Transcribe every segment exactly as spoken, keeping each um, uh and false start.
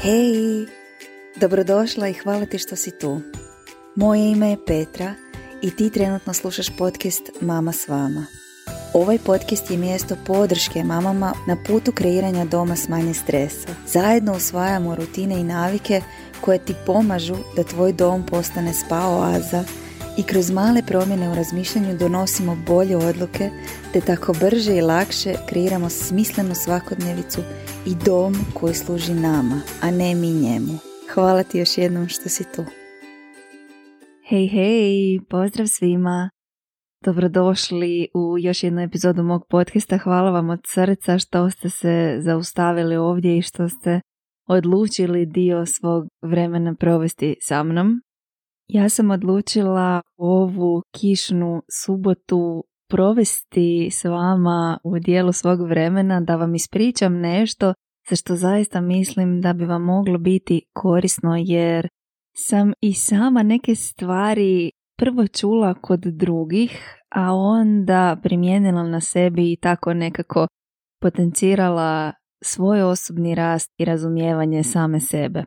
Hej, dobrodošla i hvala ti što si tu. Moje ime je Petra i ti trenutno slušaš podcast Mama s vama. Ovaj podcast je mjesto podrške mamama na putu kreiranja doma s manje stresa. Zajedno usvajamo rutine i navike koje ti pomažu da tvoj dom postane spa oaza i kroz male promjene u razmišljanju donosimo bolje odluke te tako brže i lakše kreiramo smislenu svakodnevicu i dom koji služi nama, a ne mi njemu. Hvala ti još jednom što si tu. Hej, hej, pozdrav svima. Dobrodošli u još jednu epizodu mog podcasta. Hvala vam od srca što ste se zaustavili ovdje i što ste odlučili dio svog vremena provesti sa mnom. Ja sam odlučila ovu kišnu subotu provesti s vama u dijelu svog vremena da vam ispričam nešto za što zaista mislim da bi vam moglo biti korisno, jer sam i sama neke stvari prvo čula kod drugih, a onda primijenila na sebi i tako nekako potencirala svoj osobni rast i razumijevanje same sebe.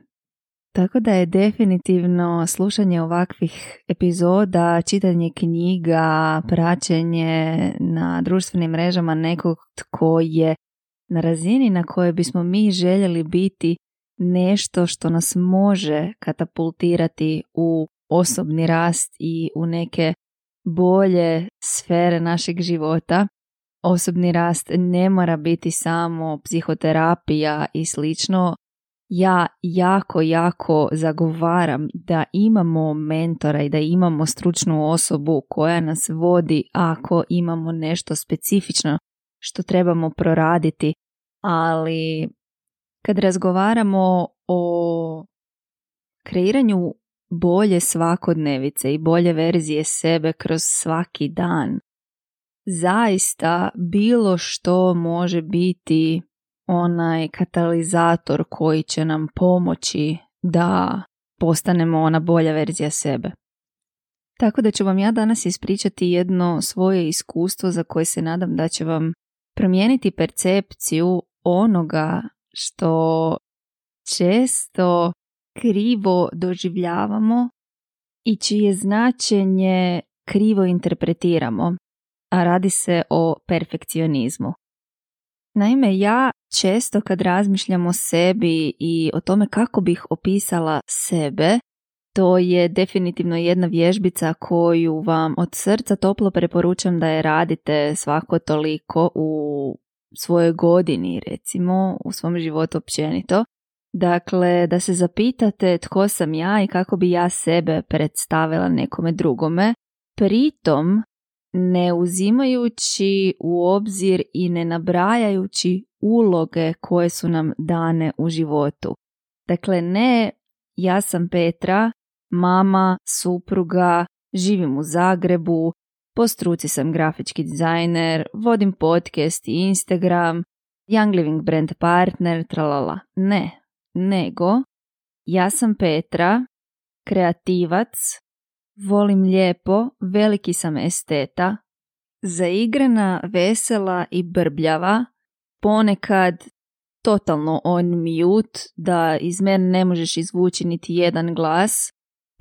Tako da je definitivno slušanje ovakvih epizoda, čitanje knjiga, praćenje na društvenim mrežama nekog tko je na razini na kojoj bismo mi željeli biti nešto što nas može katapultirati u osobni rast i u neke bolje sfere našeg života. Osobni rast ne mora biti samo psihoterapija i slično. Ja jako, jako zagovaram da imamo mentora i da imamo stručnu osobu koja nas vodi ako imamo nešto specifično što trebamo proraditi, ali kad razgovaramo o kreiranju bolje svakodnevice i bolje verzije sebe kroz svaki dan, zaista bilo što može biti onaj katalizator koji će nam pomoći da postanemo ona bolja verzija sebe. Tako da ću vam ja danas ispričati jedno svoje iskustvo za koje se nadam da će vam promijeniti percepciju onoga što često krivo doživljavamo i čije značenje krivo interpretiramo, a radi se o perfekcionizmu. Naime, ja često kad razmišljam o sebi i o tome kako bih opisala sebe, to je definitivno jedna vježbica koju vam od srca toplo preporučam da je radite svako toliko u svojoj godini, recimo, u svom životu općenito. Dakle, da se zapitate tko sam ja i kako bi ja sebe predstavila nekome drugome, pritom ne uzimajući u obzir i ne nabrajajući uloge koje su nam dane u životu. Dakle, ne ja sam Petra, mama, supruga, živim u Zagrebu, po struci sam grafički dizajner, vodim podcast i Instagram, Young Living brand partner, tralala. Ne, nego ja sam Petra, kreativac, volim lijepo, veliki sam esteta, zaigrana, vesela i brbljava, ponekad totalno on mute, da iz mene ne možeš izvući niti jedan glas,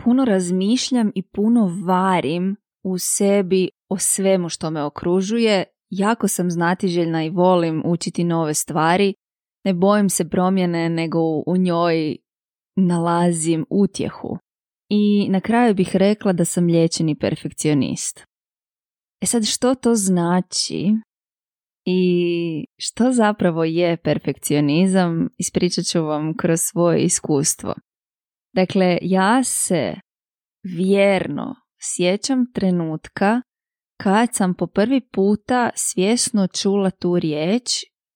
puno razmišljam i puno varim u sebi o svemu što me okružuje, jako sam znatiželjna i volim učiti nove stvari, ne bojim se promjene nego u njoj nalazim utjehu. I na kraju bih rekla da sam liječeni perfekcionist. E sad, što to znači i što zapravo je perfekcionizam, ispričat ću vam kroz svoje iskustvo. Dakle, ja se vjerno sjećam trenutka kad sam po prvi puta svjesno čula tu riječ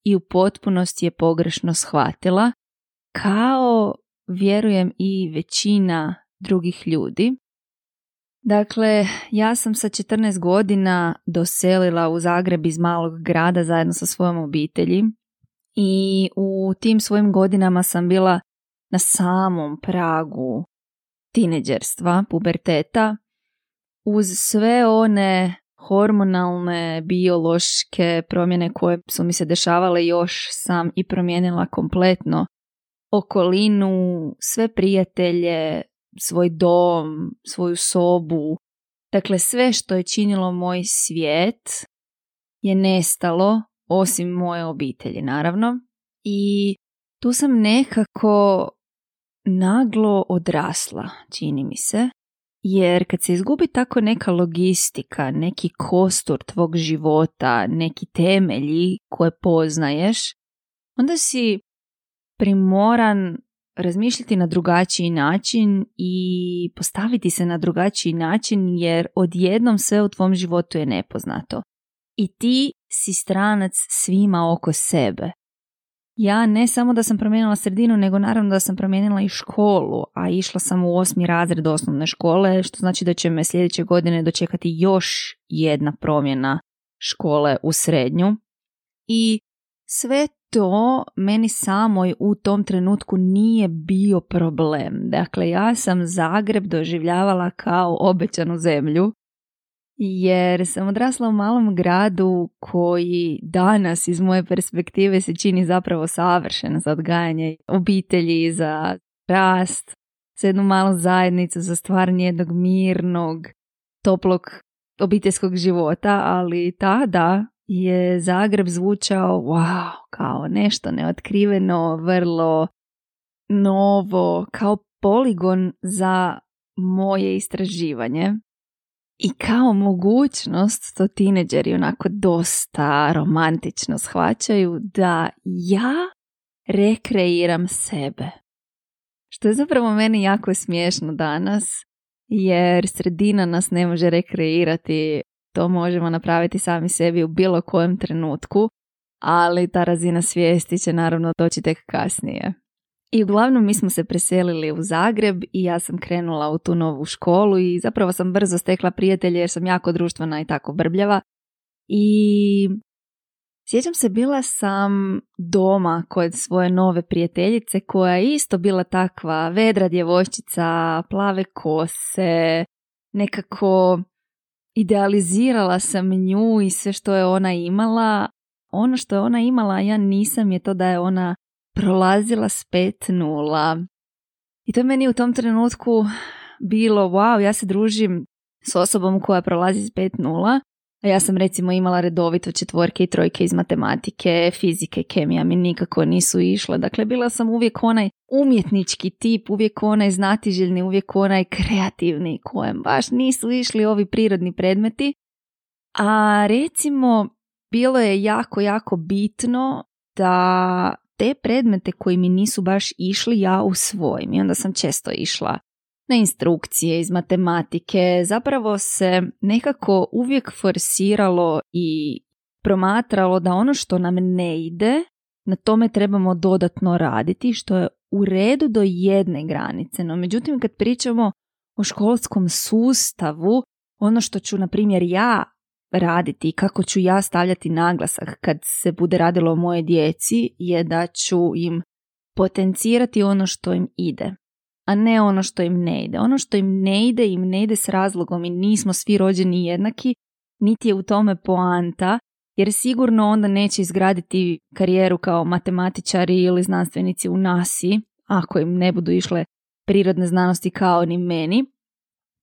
i u potpunosti je pogrešno shvatila, kao vjerujem i većina drugih ljudi. Dakle, ja sam sa četrnaest godina doselila u Zagreb iz malog grada zajedno sa svojom obitelji i u tim svojim godinama sam bila na samom pragu tineđerstva, puberteta, uz sve one hormonalne, biološke promjene koje su mi se dešavale, još sam i promijenila kompletno okolinu, sve prijatelje, svoj dom, svoju sobu. Dakle, sve što je činilo moj svijet je nestalo, osim moje obitelji, naravno. I tu sam nekako naglo odrasla, čini mi se. Jer kad se izgubi tako neka logistika, neki kostur tvog života, neki temelji koje poznaješ, onda si primoran razmišljati na drugačiji način i postaviti se na drugačiji način jer odjednom sve u tvom životu je nepoznato. I ti si stranac svima oko sebe. Ja ne samo da sam promijenila sredinu, nego naravno da sam promijenila i školu, a išla sam u osmi razred osnovne škole, što znači da će me sljedeće godine dočekati još jedna promjena škole u srednju. I sve to meni samoj u tom trenutku nije bio problem. Dakle, ja sam Zagreb doživljavala kao obećanu zemlju, jer sam odrasla u malom gradu koji danas iz moje perspektive se čini zapravo savršen za odgajanje obitelji, za rast, za jednu malu zajednicu, za stvaranje jednog mirnog, toplog obiteljskog života, ali tada je Zagreb zvučao wow, kao nešto neotkriveno, vrlo novo, kao poligon za moje istraživanje. I kao mogućnost, to tineđeri onako dosta romantično shvaćaju, da ja rekreiram sebe. Što je zapravo meni jako smiješno danas, jer sredina nas ne može rekreirati, to možemo napraviti sami sebi u bilo kojem trenutku, ali ta razina svijesti će naravno doći tek kasnije. I uglavnom mi smo se preselili u Zagreb i ja sam krenula u tu novu školu i zapravo sam brzo stekla prijatelje jer sam jako društvena i tako brbljava. I sjećam se, bila sam doma kod svoje nove prijateljice koja je isto bila takva vedra djevojčica, plave kose, nekako idealizirala sam nju i sve što je ona imala. Ono što je ona imala, ja nisam, je to da je ona prolazila s pet nula. I to je meni u tom trenutku bilo wow, ja se družim s osobom koja prolazi s pet nula, a ja sam recimo imala redovito četvorke i trojke iz matematike, fizike, kemija mi nikako nisu išle. Dakle, bila sam uvijek onaj umjetnički tip, uvijek onaj znatiželjni, uvijek onaj kreativni kojem baš nisu išli ovi prirodni predmeti. A recimo, bilo je jako, jako bitno da te predmete koji mi nisu baš išli ja usvojim. I onda sam često išla na instrukcije iz matematike. Zapravo se nekako uvijek forsiralo i promatralo da ono što nam ne ide, na tome trebamo dodatno raditi, što je u redu do jedne granice. No međutim, kad pričamo o školskom sustavu, ono što ću, na primjer, ja raditi i kako ću ja stavljati naglasak kad se bude radilo o moje djeci je da ću im potencirati ono što im ide, a ne ono što im ne ide. Ono što im ne ide, im ne ide s razlogom i nismo svi rođeni jednaki, niti je u tome poanta, jer sigurno onda neće izgraditi karijeru kao matematičari ili znanstvenici u nasi, ako im ne budu išle prirodne znanosti kao ni meni,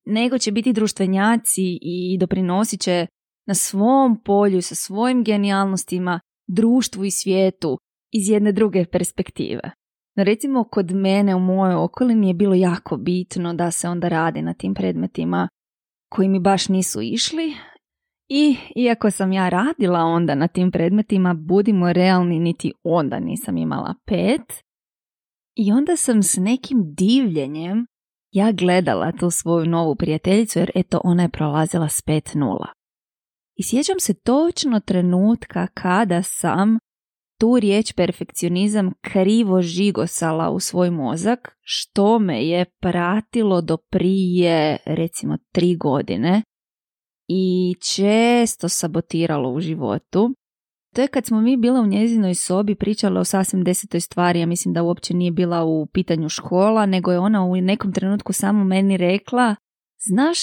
nego će biti društvenjaci i doprinosit će na svom polju, sa svojim genijalnostima, društvu i svijetu iz jedne druge perspektive. No recimo, kod mene u mojoj okolini je bilo jako bitno da se onda radi na tim predmetima koji mi baš nisu išli. I iako sam ja radila onda na tim predmetima, budimo realni, niti onda nisam imala pet. I onda sam s nekim divljenjem ja gledala tu svoju novu prijateljicu, jer eto, ona je prolazila s pet nula. I sjećam se točno trenutka kada sam tu riječ perfekcionizam krivo žigosala u svoj mozak, što me je pratilo do prije recimo tri godine i često sabotiralo u životu. To je kad smo mi bila u njezinoj sobi, pričala o sasvim desetoj stvari. Ja mislim da uopće nije bila u pitanju škola, nego je ona u nekom trenutku samo meni rekla: znaš,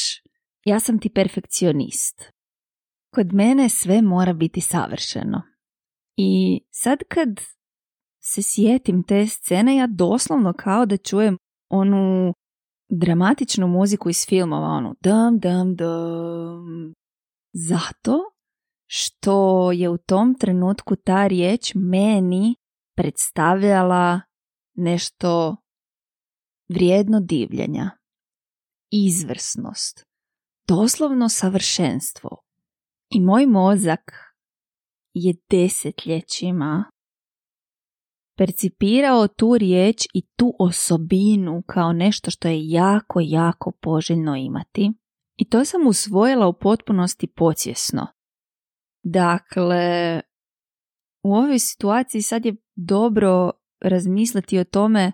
ja sam ti perfekcionist. Kod mene sve mora biti savršeno. I sad kad se sjetim te scene, ja doslovno kao da čujem onu dramatičnu muziku iz filmova, onu dam, dam, dam. Zato što je u tom trenutku ta riječ meni predstavljala nešto vrijedno divljenja, izvrsnost, doslovno savršenstvo. I moj mozak je desetljećima percipirao tu riječ i tu osobinu kao nešto što je jako, jako poželjno imati. I to sam usvojila u potpunosti podsvjesno. Dakle, u ovoj situaciji sad je dobro razmisliti o tome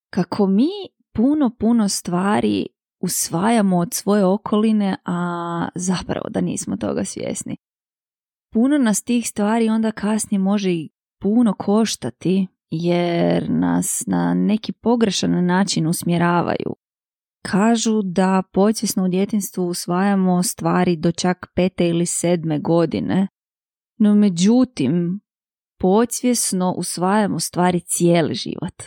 kako mi puno, puno stvari usvajamo od svoje okoline, a zapravo da nismo toga svjesni. Puno nas tih stvari onda kasnije može i puno koštati jer nas na neki pogrešan način usmjeravaju. Kažu da podsvjesno u djetinjstvu usvajamo stvari do čak pete ili sedme godine, no međutim podsvjesno usvajamo stvari cijeli život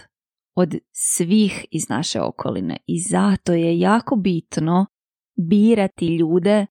od svih iz naše okoline i zato je jako bitno birati ljude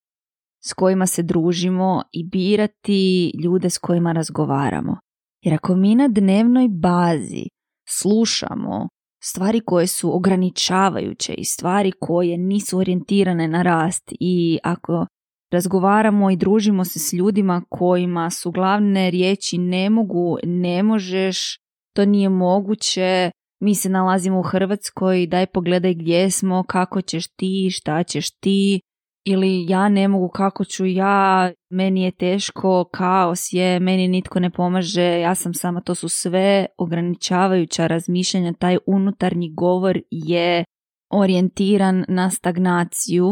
s kojima se družimo i birati ljude s kojima razgovaramo. Jer ako mi na dnevnoj bazi slušamo stvari koje su ograničavajuće i stvari koje nisu orijentirane na rast i ako razgovaramo i družimo se s ljudima kojima su glavne riječi ne mogu, ne možeš, to nije moguće, mi se nalazimo u Hrvatskoj, daj pogledaj gdje smo, kako ćeš ti, šta ćeš ti, ili ja ne mogu, kako ću ja, meni je teško, kaos je, meni nitko ne pomaže, ja sam sama, to su sve ograničavajuća razmišljanja, taj unutarnji govor je orijentiran na stagnaciju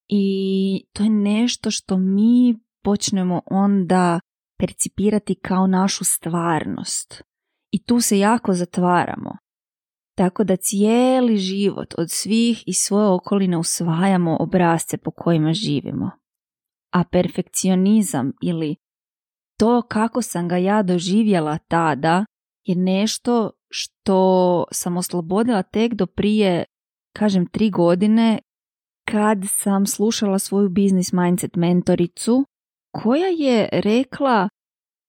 i to je nešto što mi počnemo onda percipirati kao našu stvarnost i tu se jako zatvaramo. Tako da cijeli život od svih i svoje okoline usvajamo obrasce po kojima živimo. A perfekcionizam ili to kako sam ga ja doživjela tada je nešto što sam oslobodila tek do prije, kažem, tri godine kad sam slušala svoju business mindset mentoricu koja je rekla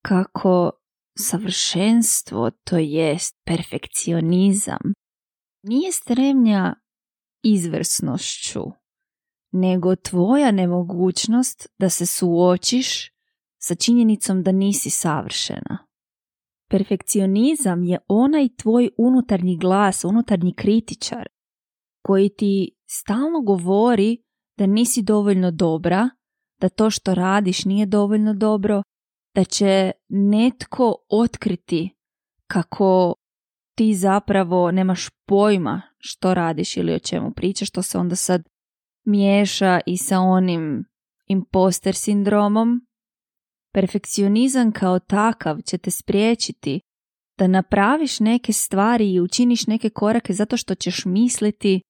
kako savršenstvo, to jest perfekcionizam, nije stremnja izvrsnošću, nego tvoja nemogućnost da se suočiš sa činjenicom da nisi savršena. Perfekcionizam je onaj tvoj unutarnji glas, unutarnji kritičar koji ti stalno govori da nisi dovoljno dobra, da to što radiš nije dovoljno dobro, da će netko otkriti kako ti zapravo nemaš pojma što radiš ili o čemu pričaš, što se onda sad miješa i sa onim imposter sindromom. Perfekcionizam kao takav će te spriječiti da napraviš neke stvari i učiniš neke korake zato što ćeš misliti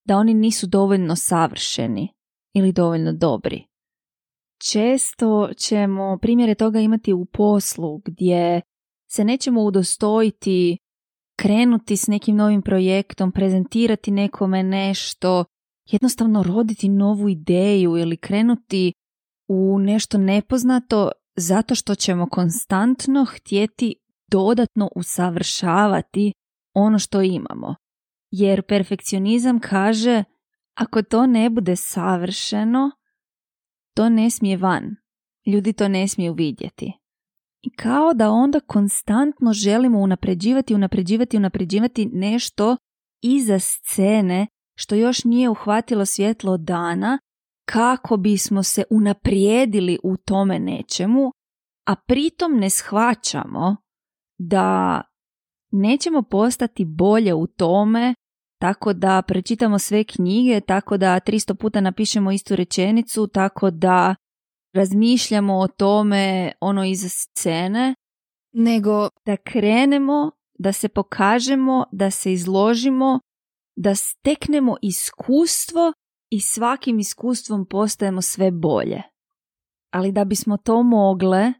da oni nisu dovoljno savršeni ili dovoljno dobri. Često ćemo primjere toga imati u poslu gdje se nećemo udostojiti krenuti s nekim novim projektom, prezentirati nekome nešto, jednostavno roditi novu ideju ili krenuti u nešto nepoznato zato što ćemo konstantno htjeti dodatno usavršavati ono što imamo. Jer perfekcionizam kaže ako to ne bude savršeno, to ne smije van. Ljudi to ne smiju vidjeti. I kao da onda konstantno želimo unapređivati, unapređivati, unapređivati nešto iza scene što još nije uhvatilo svjetlo dana kako bismo se unaprijedili u tome nečemu, a pritom ne shvaćamo da nećemo postati bolje u tome tako da pročitamo sve knjige, tako da tristo puta napišemo istu rečenicu, tako da razmišljamo o tome ono iza scene, nego da krenemo, da se pokažemo, da se izložimo, da steknemo iskustvo i svakim iskustvom postajemo sve bolje. Ali da bismo to mogle,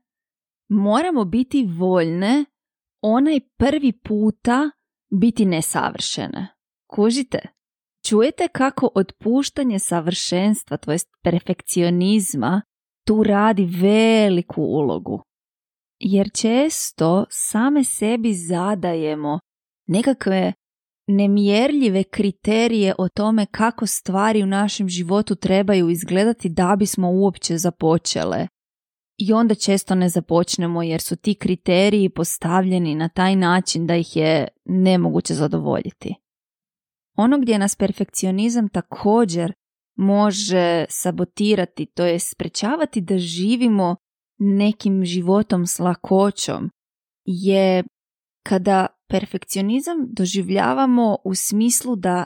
moramo biti voljne onaj prvi puta biti nesavršene. Kužite? Čujete kako otpuštanje savršenstva, to jest perfekcionizma, tu radi veliku ulogu. Jer često same sebi zadajemo nekakve nemjerljive kriterije o tome kako stvari u našem životu trebaju izgledati da bismo uopće započele. I onda često ne započnemo jer su ti kriteriji postavljeni na taj način da ih je nemoguće zadovoljiti. Ono gdje nas perfekcionizam također može sabotirati, to je sprečavati da živimo nekim životom s lakoćom, je kada perfekcionizam doživljavamo u smislu da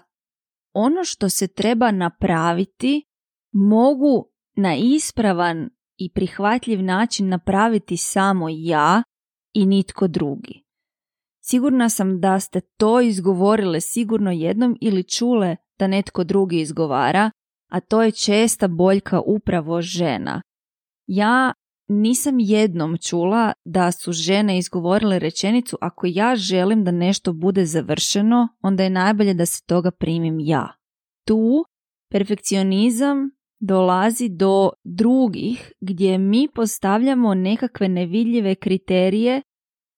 ono što se treba napraviti mogu na ispravan i prihvatljiv način napraviti samo ja i nitko drugi. Sigurna sam da ste to izgovorile sigurno jednom ili čule da netko drugi izgovara, a to je česta boljka upravo žena. Ja nisam jednom čula da su žene izgovorile rečenicu: ako ja želim da nešto bude završeno, onda je najbolje da se toga primim ja. Tu perfekcionizam dolazi do drugih gdje mi postavljamo nekakve nevidljive kriterije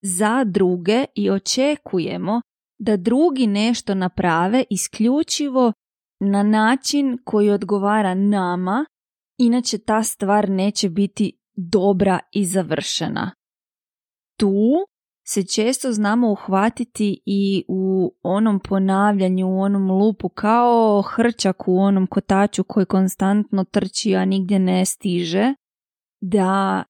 za druge i očekujemo da drugi nešto naprave isključivo na način koji odgovara nama, inače ta stvar neće biti dobra i završena. Tu se često znamo uhvatiti i u onom ponavljanju, u onom lupu, kao hrčak u onom kotaču koji konstantno trči, a nigdje ne stiže, da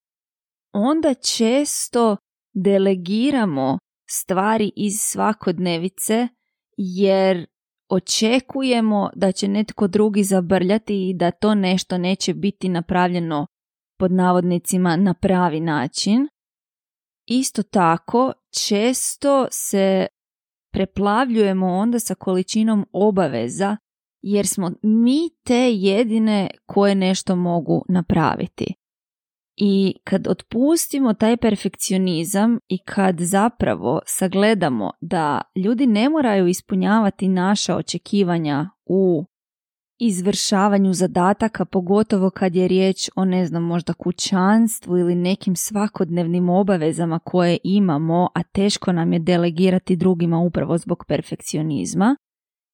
onda često delegiramo stvari iz svakodnevice jer očekujemo da će netko drugi zabrljati i da to nešto neće biti napravljeno pod navodnicima na pravi način. Isto tako, često se preplavljujemo onda sa količinom obaveza jer smo mi te jedine koje nešto mogu napraviti. I kad otpustimo taj perfekcionizam i kad zapravo sagledamo da ljudi ne moraju ispunjavati naša očekivanja u izvršavanju zadataka, pogotovo kad je riječ o, ne znam, možda kućanstvu ili nekim svakodnevnim obavezama koje imamo, a teško nam je delegirati drugima upravo zbog perfekcionizma.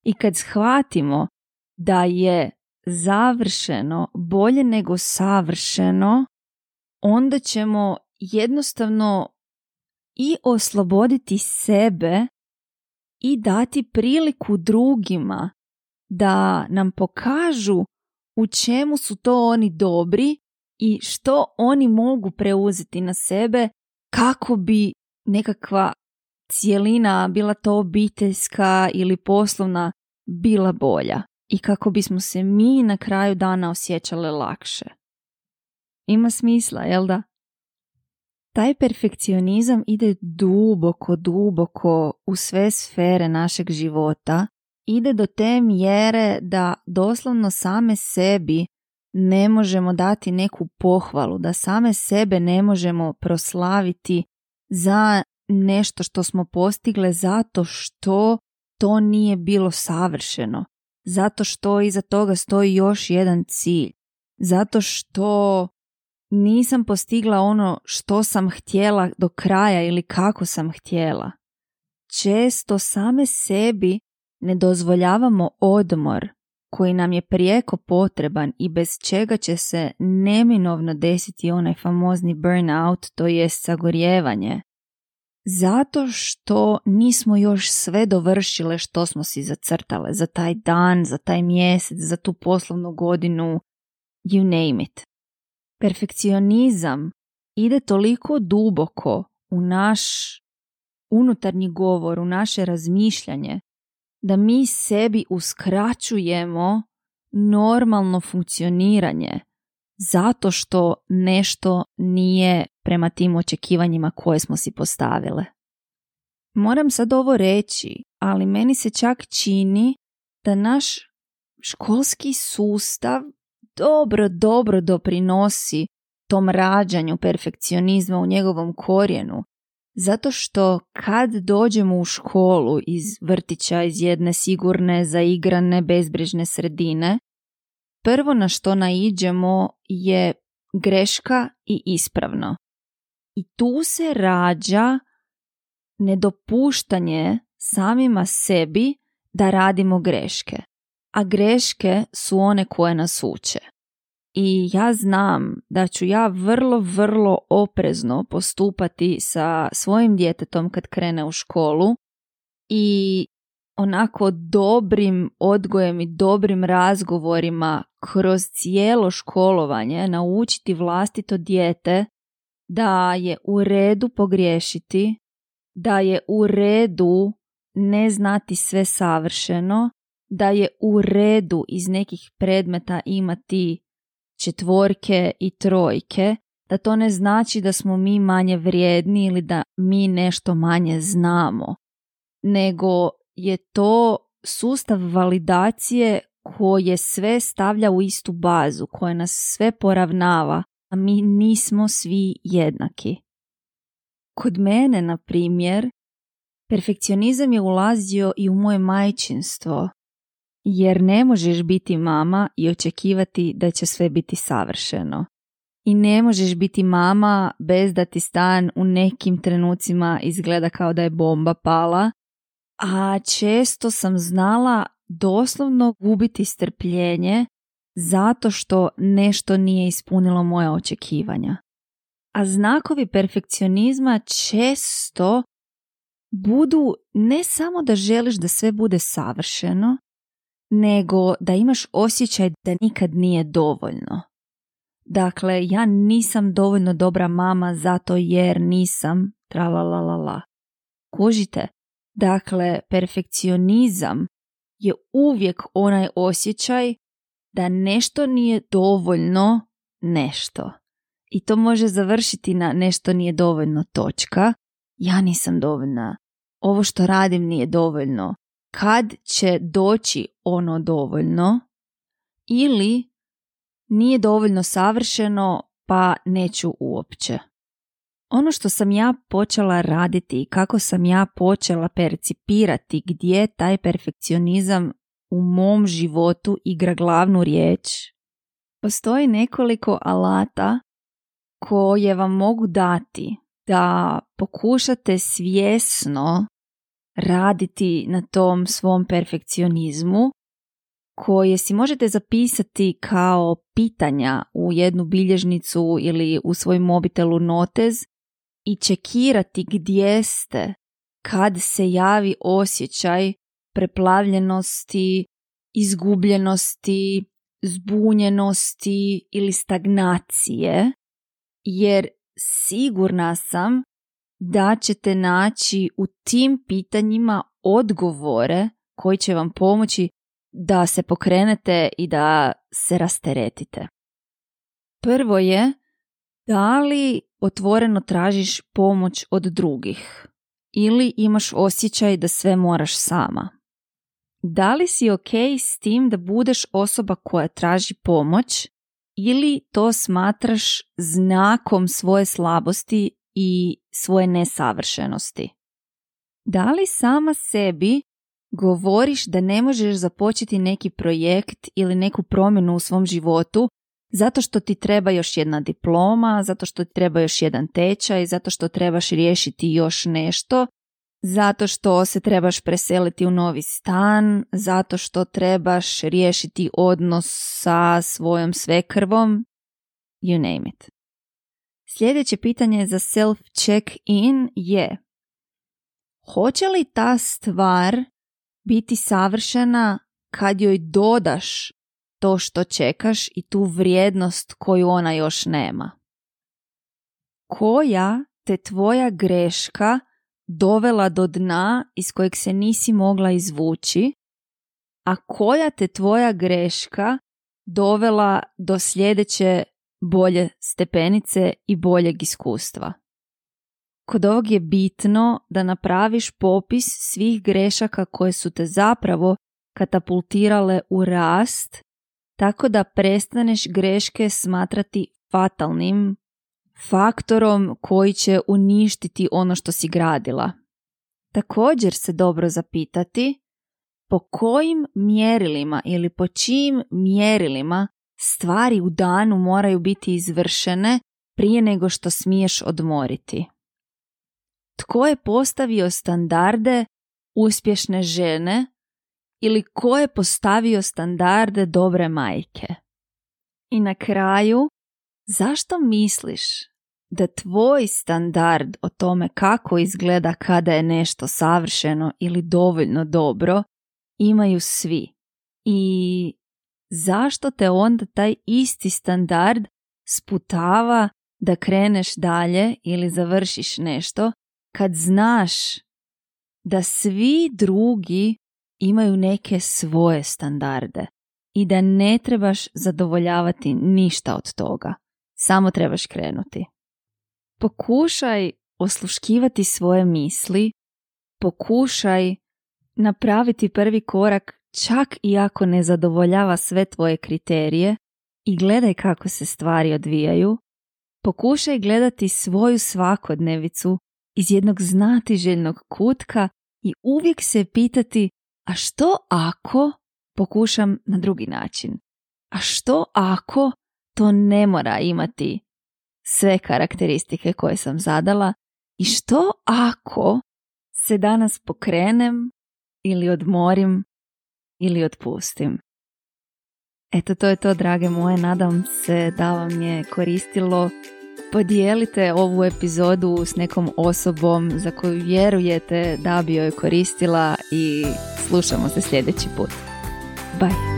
I kad shvatimo da je završeno bolje nego savršeno, onda ćemo jednostavno i osloboditi sebe i dati priliku drugima da nam pokažu u čemu su to oni dobri i što oni mogu preuzeti na sebe kako bi nekakva cjelina, bila to obiteljska ili poslovna, bila bolja i kako bismo se mi na kraju dana osjećale lakše. Ima smisla, jel da? Taj perfekcionizam ide duboko, duboko u sve sfere našeg života. Ide do te mjere da doslovno same sebi ne možemo dati neku pohvalu, da same sebe ne možemo proslaviti za nešto što smo postigle zato što to nije bilo savršeno, zato što iza toga stoji još jedan cilj, zato što nisam postigla ono što sam htjela do kraja ili kako sam htjela. Često same sebi ne dozvoljavamo odmor koji nam je prijeko potreban i bez čega će se neminovno desiti onaj famozni burnout, to jest sagorijevanje. Zato što nismo još sve dovršile što smo si zacrtale za taj dan, za taj mjesec, za tu poslovnu godinu, you name it. Perfekcionizam ide toliko duboko u naš unutarnji govor, u naše razmišljanje, da mi sebi uskraćujemo normalno funkcioniranje zato što nešto nije prema tim očekivanjima koje smo si postavile. Moram sad ovo reći, ali meni se čak čini da naš školski sustav dobro, dobro doprinosi tom rađanju perfekcionizma u njegovom korijenu, Zato što kad dođemo u školu iz vrtića, iz jedne sigurne, zaigrane, bezbrižne sredine, prvo na što naiđemo je greška i ispravno. I tu se rađa nedopuštanje samima sebi da radimo greške. A greške su one koje nas uče. I ja znam da ću ja vrlo, vrlo oprezno postupati sa svojim djetetom kad krene u školu i onako dobrim odgojem i dobrim razgovorima kroz cijelo školovanje naučiti vlastito dijete da je u redu pogriješiti, da je u redu ne znati sve savršeno, da je u redu iz nekih predmeta imati četvorke i trojke, da to ne znači da smo mi manje vrijedni ili da mi nešto manje znamo, nego je to sustav validacije koje sve stavlja u istu bazu, koje nas sve poravnava, a mi nismo svi jednaki. Kod mene, na primjer, perfekcionizam je ulazio i u moje majčinstvo, jer ne možeš biti mama i očekivati da će sve biti savršeno. I ne možeš biti mama bez da ti stan u nekim trenucima izgleda kao da je bomba pala, a često sam znala doslovno gubiti strpljenje zato što nešto nije ispunilo moja očekivanja. A znakovi perfekcionizma često budu ne samo da želiš da sve bude savršeno, nego da imaš osjećaj da nikad nije dovoljno. Dakle, ja nisam dovoljno dobra mama zato jer nisam tralalalala. Kužite? Dakle, perfekcionizam je uvijek onaj osjećaj da nešto nije dovoljno nešto. I to može završiti na nešto nije dovoljno točka. Ja nisam dovoljna. Ovo što radim nije dovoljno. Kad će doći ono dovoljno? Ili nije dovoljno savršeno pa neću uopće. Ono što sam ja počela raditi i kako sam ja počela percipirati gdje taj perfekcionizam u mom životu igra glavnu riječ, postoji nekoliko alata koje vam mogu dati da pokušate svjesno raditi na tom svom perfekcionizmu, koje si možete zapisati kao pitanja u jednu bilježnicu ili u svoj mobitelu notez i čekirati gdje ste kad se javi osjećaj preplavljenosti, izgubljenosti, zbunjenosti ili stagnacije, jer sigurna sam da ćete naći u tim pitanjima odgovore koji će vam pomoći da se pokrenete i da se rasteretite. Prvo je, da li otvoreno tražiš pomoć od drugih ili imaš osjećaj da sve moraš sama? Da li si ok s tim da budeš osoba koja traži pomoć ili to smatraš znakom svoje slabosti i svoje nesavršenosti? Da li sama sebi govoriš da ne možeš započeti neki projekt ili neku promjenu u svom životu zato što ti treba još jedna diploma, zato što ti treba još jedan tečaj, zato što trebaš riješiti još nešto, zato što se trebaš preseliti u novi stan, zato što trebaš riješiti odnos sa svojom svekrvom, you name it. Sljedeće pitanje za self-check-in je: hoće li ta stvar biti savršena kad joj dodaš to što čekaš i tu vrijednost koju ona još nema? Koja te tvoja greška dovela do dna iz kojeg se nisi mogla izvući, a koja te tvoja greška dovela do sljedeće bolje stepenice i boljeg iskustva? Kod ovog je bitno da napraviš popis svih grešaka koje su te zapravo katapultirale u rast, tako da prestaneš greške smatrati fatalnim faktorom koji će uništiti ono što si gradila. Također se dobro zapitati po kojim mjerilima ili po čijim mjerilima stvari u danu moraju biti izvršene prije nego što smiješ odmoriti. Tko je postavio standarde uspješne žene ili ko je postavio standarde dobre majke? I na kraju, zašto misliš da tvoj standard o tome kako izgleda kada je nešto savršeno ili dovoljno dobro imaju svi? I zašto te onda taj isti standard sputava da kreneš dalje ili završiš nešto kad znaš da svi drugi imaju neke svoje standarde i da ne trebaš zadovoljavati ništa od toga, samo trebaš krenuti. Pokušaj osluškivati svoje misli, pokušaj napraviti prvi korak čak i ako ne zadovoljava sve tvoje kriterije i gledaj kako se stvari odvijaju. Pokušaj gledati svoju svakodnevicu iz jednog znatiželjnog kutka i uvijek se pitati, a što ako pokušam na drugi način? A što ako to ne mora imati sve karakteristike koje sam zadala? I što ako se danas pokrenem ili odmorim ili otpustim? Eto, to je to, drage moje. Nadam se da vam je koristilo. Podijelite ovu epizodu s nekom osobom za koju vjerujete da bi joj koristila i slušamo se sljedeći put. Bye!